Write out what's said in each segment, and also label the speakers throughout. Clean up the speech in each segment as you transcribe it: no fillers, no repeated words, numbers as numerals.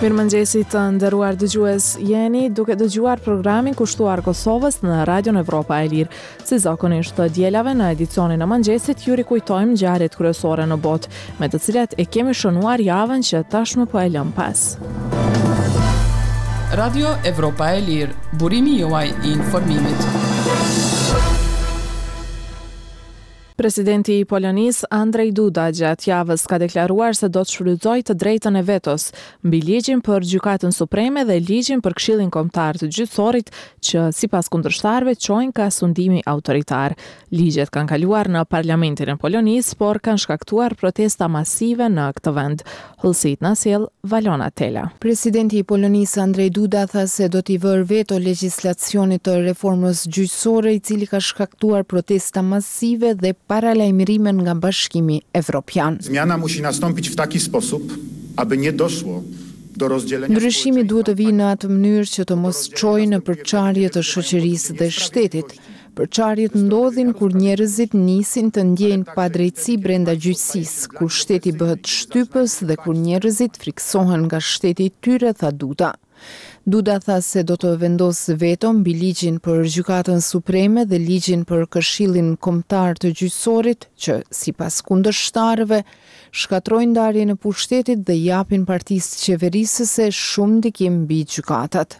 Speaker 1: Mirëmëngjesi të nderuar dëgjues, jeni duke dëgjuar programin kushtuar Kosovës në Radion Evropa e Lirë. Si zakonisht të dielave në edicionin e mëngjesit ju rikujtojmë ngjarjet kryesore në botë, me të cilat e kemi shënuar javën që tashmë po e lëmë
Speaker 2: pas. Radio Evropa e Lirë, burimi juaj i informimit.
Speaker 1: Presidenti i Polonisë, Andrzej Duda, gjatë javës ka deklaruar se do të shfrytëzojë të drejtën e vetos mbi ligjin për Gjykatën Supreme dhe ligjin për Këshillin Kombëtar të Gjyqësorit, që sipas kundërshtarëve çojnë ka sundimi autoritar. Ligjet kanë kaluar në Parlamentin e Polonisë, por kanë shkaktuar protesta masive në këtë vend. Hollësitë na sjell Valona Tela.
Speaker 3: Presidenti i Polonisë Andrzej Duda tha se do t'i vërë veto legjislacionit të reformës gjyqësore i cili ka shkaktuar protesta masive dhe paralajmërime nga Bashkimi Evropian.
Speaker 4: Zmiana musi nastąpić w taki sposób, aby nie doszło do rozdzielenia
Speaker 3: Ndryshimi duhet të vijë në atë mënyrë që të mos çojë në përçarje të shoqërisë dhe shtetit. Përçarjet ndodhin kur njerëzit nisin të ndjejnë padrejtësi brenda gjyqësisë, kur shteti bëhet shtypës dhe kur njerëzit frikësohen nga shteti i tyre, tha Duda. Duda tha se do të vendosë veto mbi ligjin për Gjykatën Supreme dhe ligjin për Këshillin Kombëtar të Gjyqësorit, që, sipas kundërshtarëve, shkatërrojnë ndarjen e pushtetit dhe i japin partisë qeverisëse shumë ndikim mbi gjykatat.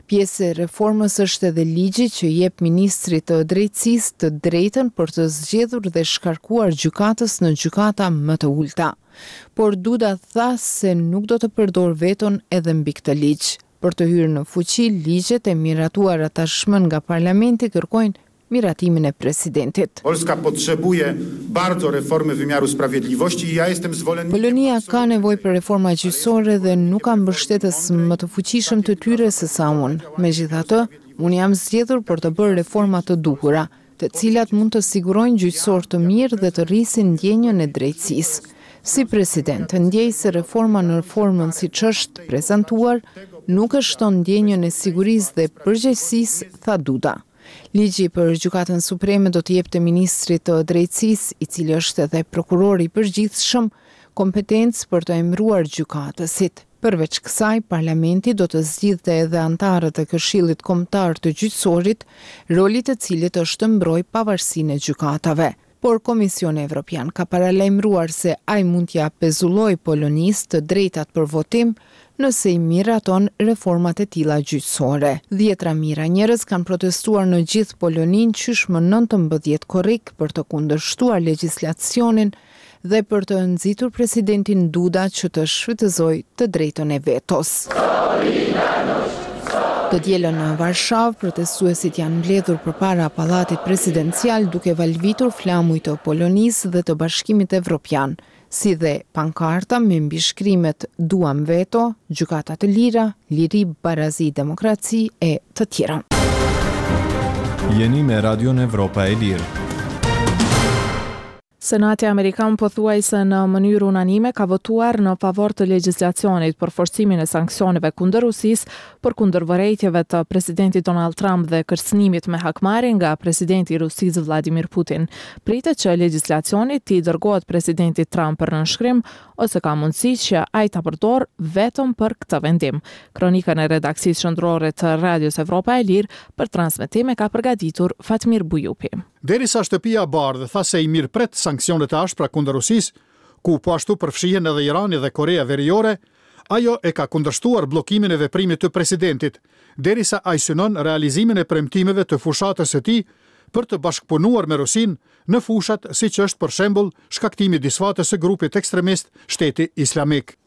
Speaker 3: Pjesë e reformës është edhe ligji që i jep ministrit të Drejtësisë të drejtën për të zgjedhur dhe shkarkuar gjykatës në gjykata më të ulëta. Por Duda tha se nuk do të përdorë veton edhe mbi këtë ligj. Për të hyrë në fuqi, ligjet e miratuara tashmë nga parlamenti kërkojnë miratimin e presidentit.
Speaker 4: Polska potrzebuje bardzo reformy wymiaru sprawiedliwości i ja jestem zwolennikiem
Speaker 3: Polonia ka nevojë për reforma gjyqësore dhe nuk ka mbështetës më të fuqishëm të tyre se sa unë. Megjithatë, unë jam zgjedhur për të bërë reforma të duhura, të cilat mund të sigurojnë gjyqësor të mirë dhe të rrisin ndjenjën e drejtësisë. Si president, ndjej se reforma në formën siç është prezantuar, nuk e shton ndjenjën e sigurisë dhe përgjegjësisë, tha Duda. Ligji për Gjykatën Supreme do t'i jepte ministrit të Drejtësisë, i cili është edhe prokuror i përgjithshëm, kompetencë për të emëruar gjykatësit. Përveç kësaj, parlamenti do të zgjidhte edhe anëtarët e Këshillit Kombëtar të Gjyqësorit, roli i të cilit është të mbrojë pavarësinë e gjykatave. Por Komisioni Evropian ka paralajmëruar se ai mund t'ia pezullojë Polonisë të drejtat për votim nëse i miraton reformat e tilla gjyqësore. Dhjetëra mijëra njerëz kanë protestuar në gjithë Poloninë qysh më 19 korrik për të kundërshtuar legjislacionin dhe për të nxitur presidentin Duda që të shfrytëzojë të drejtën e vetos. Të dielën në Varshavë, protestuesit janë mbledhur përpara Pallatit Presidencial duke valvitur flamuj të Polonisë dhe të Bashkimit Evropian, si dhe pankarta me mbishkrimet Duam veto, Gjykata të lira, Liri, barazi, demokraci e të tjera.
Speaker 5: Jeni me Radion Evropa e Lirë.
Speaker 1: Senati amerikan pothuajse në mënyrë unanime ka votuar në favor të legjislacionit për forcimin e sanksioneve kundër Rusisë, përkundër vërejtjeve të presidentit Donald Trump dhe kërcënimit me hakmarrje nga presidenti i Rusisë Vladimir Putin. Pritet që legjislacioni t'i dërgohet presidentit Trump për nënshkrim, ose ka mundësi që ai ta përdorë vetëm për këtë vendim. Kronikën e redaksisë qendrore të Radios Evropa e Lirë për transmetim e ka përgatitur Fatmir Bujupi.
Speaker 6: Derisa Shtëpia e Bardhë tha se i mirëpret sanksionet e ashpra kundër Rusisë, ku po ashtu përfshihen edhe Irani dhe Koreja Veriore, ajo e ka kundërshtuar bllokimin e veprimit të presidentit, derisa ai synon realizimin e premtimeve të fushatës së tij për të bashkëpunuar me Rusinë në fushat siç është për shembull shkaktimi i disfatës së grupit ekstremist Shteti Islamik.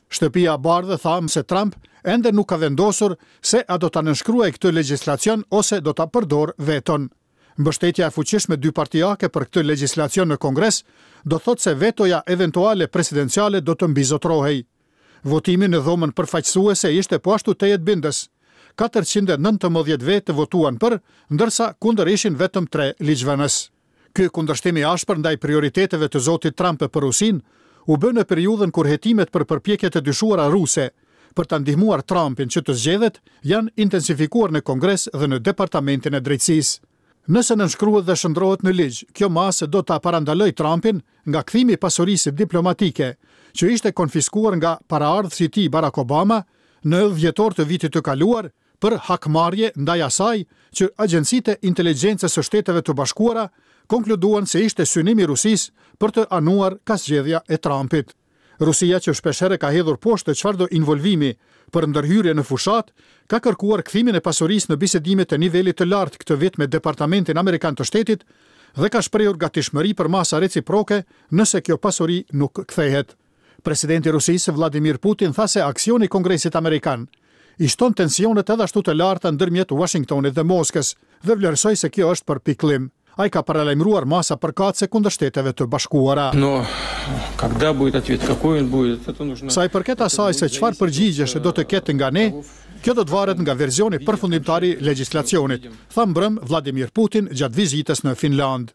Speaker 6: Shtëpia e Bardhë tha se Trump ende nuk ka vendosur se a do ta nënshkruajë këtë legjislacion ose do ta përdorë veton. Mbështetja e fuqishme dypartiake për këtë legjislacion në Kongres do të thotë se vetoja eventuale presidenciale do të mbizotërohej. Votimi në Dhomën Përfaqësuese ishte po ashtu tejet bindës. 419 vetë votuan për, ndërsa kundër ishin vetëm tre ligjvënës. Ky kundërshtim i ashpër ndaj prioriteteve të zotit Trump për Rusinë u bë në periudhën kur hetimet për përpjekjet e dyshuara ruse për ta ndihmuar Trumpin që të zgjedhet janë intensifikuar në Kongres dhe në Departamentin e Drejtësisë. Nëse nënshkruhet dhe shndërrohet në ligj, kjo masë do ta parandalojë Trumpin nga kthimi i pasurisë diplomatike, që ishte konfiskuar nga paraardhësi i tij Barack Obama në dhjetor të vitit të kaluar për hakmarrje ndaj asaj që agjencitë e inteligjencës së Shteteve të Bashkuara konkluduan se ishte synim i Rusisë për të anuar ka zgjedhja e Trumpit. Rusia që shpeshherë ka hedhur poshtë çfarëdo involvimi për ndërhyrje në fushatë, ka kërkuar kthimin e pasurisë në bisedimet e nivelit të lartë këtë vit me Departamentin Amerikan të Shtetit dhe ka shprehur gatishmëri për masa reciproke nëse kjo pasuri nuk kthehet. Presidenti i Rusisë, Vladimir Putin tha se aksioni i Kongresit Amerikan i shton tensionet edhe ashtu të larta ndërmjet Uashingtonit dhe Moskës dhe vlerësoi se kjo është për pikëllim. Ai ka paralajmëruar masa përkatëse kundër Shteteve të Bashkuara. Sa i përket asaj se çfarë përgjigjesh do të ketë nga ne, kjo do të varet nga versioni përfundimtar i legjislacionit, tha mbrëmë Vladimir Putin gjatë vizitës në Finlandë.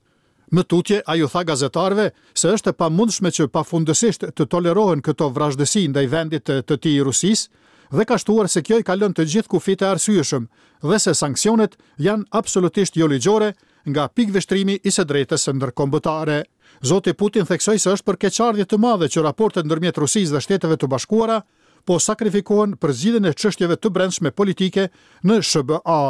Speaker 6: Më tutje, ai u tha gazetarëve se është e pamundshme që pafundësisht të tolerohen këto vrazhdësi ndaj vendit të tij Rusisë dhe ka shtuar se kjo i kalon të gjithë kufijtë e arsyeshëm dhe se sanksionet janë absolutisht joligjore nga pikëvështrimi i së drejtës ndërkombëtare. Zoti Putin theksoi se është për keqardhje të madhe që raportet ndërmjet Rusisë dhe Shteteve të Bashkuara po sakrifikohen për zgjidhjen e çështjeve të brendshme politike në SHBA.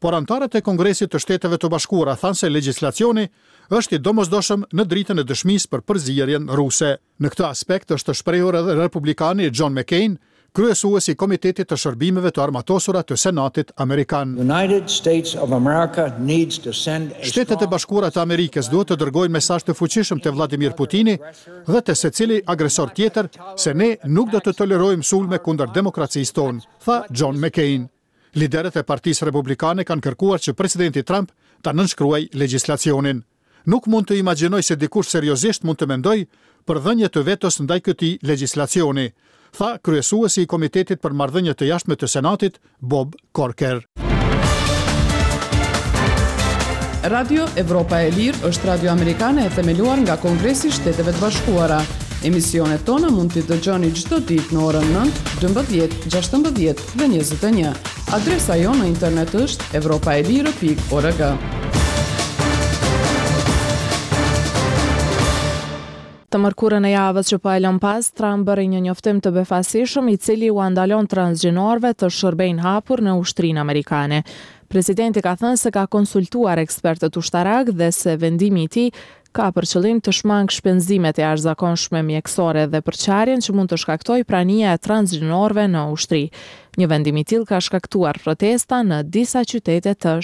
Speaker 6: Por anëtarët e Kongresit të Shteteve të Bashkuara thanë se legjislacioni është i domosdoshëm në dritën e dëshmisë për përzierjen ruse. Në këtë aspekt është shprehur edhe republikani John McCain, kryesues i Komitetit të Shërbimeve të Armatosura të Senatit amerikan. Shtetet e Bashkuara të Amerikës duhet të dërgojnë mesazh të fuqishëm te Vladimir Putini dhe te secili agresor tjetër se ne nuk do të tolerojmë sulme kundër demokracisë tonë, tha John McCain. Liderët e Partisë Republikane kanë kërkuar që presidenti Trump ta nënshkruajë legjislacionin. Nuk mund të imagjinoj se dikush seriozisht mund të mendojë për dhënie të vetos ndaj këtij legjislacioni, tha kryesuesi i Komitetit për Marrëdhënie të Jashtme të Senatit, Bob Corker.
Speaker 2: Radio Evropa e Lirë është radio amerikane e themeluar nga Kongresi i Shteteve të Bashkuara. Emisionet tona mund t'i dëgjoni çdo ditë në orën 9, 12, 16 dhe 21. Adresa jonë në internet është evropaelire.org.
Speaker 1: Të mërkurën e javës që po e lëmë pas, Trump bëri një njoftim të befasishëm i cili ua ndalon transgjinorëve të shërbejnë hapur në ushtrinë amerikane. Presidenti ka thënë se ka konsultuar ekspertët ushtarakë dhe se vendimi i tij ka për qëllim të shmangë shpenzimet e jashtëzakonshme mjekësore dhe përçarjen që mund të shkaktojë prania e transgjinorëve në ushtri. Një vendim i tillë ka shkaktuar protesta në disa qytete të.